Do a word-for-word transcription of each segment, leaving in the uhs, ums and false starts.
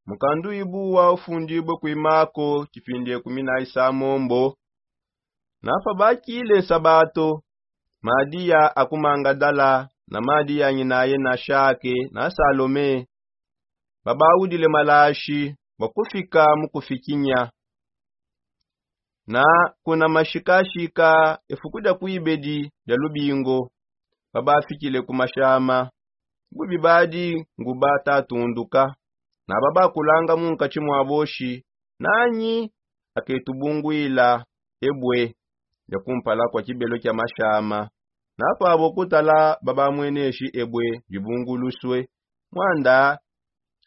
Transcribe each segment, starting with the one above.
Mukandu ibu wa ufundibue kuimako kipindi ekumi na isamombo. Napa bakile nsabato, madiya akumangadala na madiya nyinaye na shake na salome, babaudile malashi bakufika mukufikinya. Na kuna mashikashika efuku dia kuibedi dia lubingo, babafikile ku mashama, bubi badi nguba tatunduka. Naba bakulanga mu nkatshi mua boshi, nanyi aketubunguila ebue dia kumpala kua kibelo kia mashama. Napa abo kutala babamweneshi ebue dibungulusue, muanda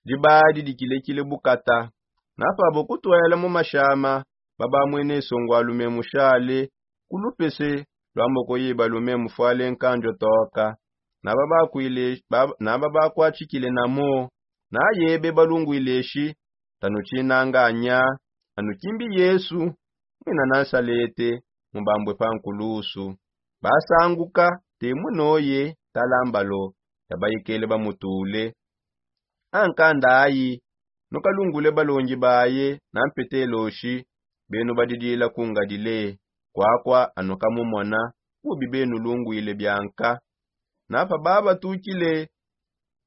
dibadi dikilekile bukata. Napa abo kutuela mu mashama, babamwene nsongualume mushale ku lupese lua mboko yibalume mufuale nkandio toka. Naba bakwile bab- naba bakwatshikile namo, naye bebalungwile shi: Tanu tshinanganya, anu kimbi Yesu, mwina Nasalete, mubambue pa nkulusu. Basanguka te munoye talambalo ya baikele bamutule. Ankanda ayi, nukalungule balongi baye na mpetelo shi: Benu badidila ku ngalile, kwakua anukamumona, bubi benulungwile bianka. Napa babatukile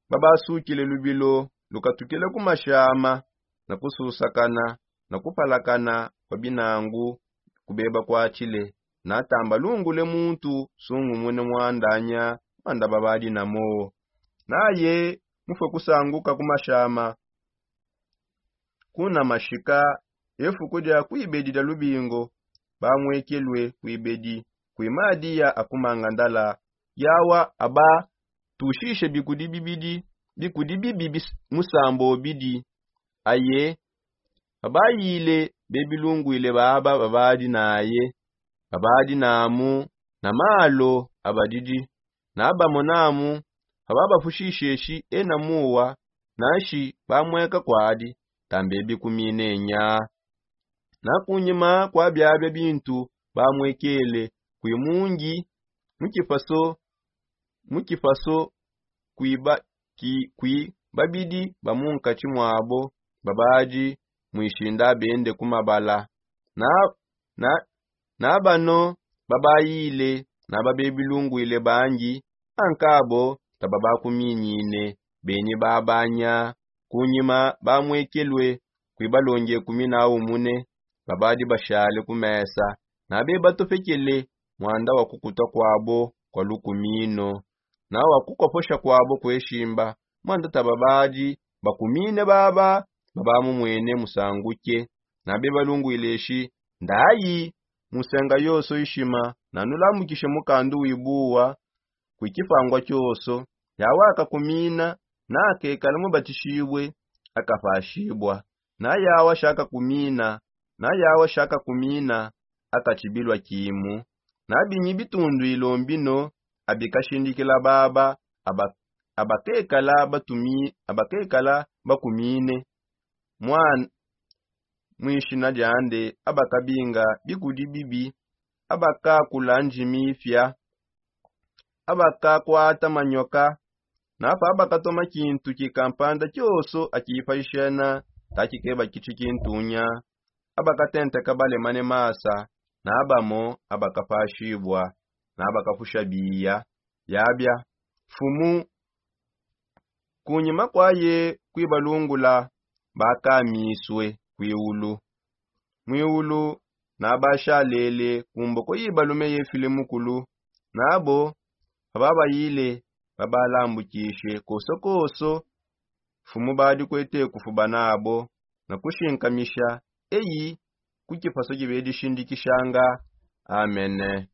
babasukile lubilo lukatukile ku mashama, na kususakana na kupalakana kua binangu kubeba kuatshile. Natamba lungule muntu sungumune muandanya muanda babadi namo. Naye mufue kusanguka ku mashama. Kuna mashika efuku dia kuibedi dia lubingo, bamwekelue kuibedi kui madiya akumangandala. Yawa aba tushishe bikudi bibidi bikudi bibi bis- musambo obidi. Aye abayile bebilungwile baba babadi naye, babadi namu na malo abadidi. Nabamo namu ababafushisheshi ena muwa, nanshi bamweka kwadi tambe bikumine nya. Na kunyima kua biabia bintu bamwekele kui mungi mu kipaso mu kipaso kui ba- ki- kui babidi ba mu nkatshi muabo babadi muishinda bende ku mabala. Na na na bano babayile na babebilungwile bangi, ankabo tababakuminyine benyi babanya. Kunyima bamwekelue kui balongi ekumi na umune babadi bashale ku mesa, na bebatopekele muanda wa kukuta kuabo kua lukumino na wa kukoposha kuabo kueshimba. Muanda tababadi bakumine baba babamumwene musanguke. Na bebalungwile shi: Ndayi musenga yonso ishima, nanulambukishe mukandu wibuwa kui kipangua kionso. Yawa akakumina na akekala mubatishibue, akapashibua. Na yawa shakakumina na yawa shakakumina akatshibilua kimu. Na binyi bitunduilo mbino abikashindikila baba aba- abakekala batumi- abakekala bakumine mwana mwishina diande, abakabinga bikudi bibi, abakakula njimi ipia, abakakwata manyoka. Napa abakatoma kintu kikampanda kionso akipashishena takikeba kitshi kintunya. Abakatenteka balemane masa na bamo abakapashibua na abakapusha biya biabia. Mfumu kunyima kuaye kuibalungula bakamisue kuiulu. Muiulu nabashalele kumboko ibalume yefile mukulu. Nabo ababayile babalambukishe kosokoso. Mfumu badi kuete kufuba nabo na kushinkamisha eyi ku kipaso kibedishindikishanga. Amene.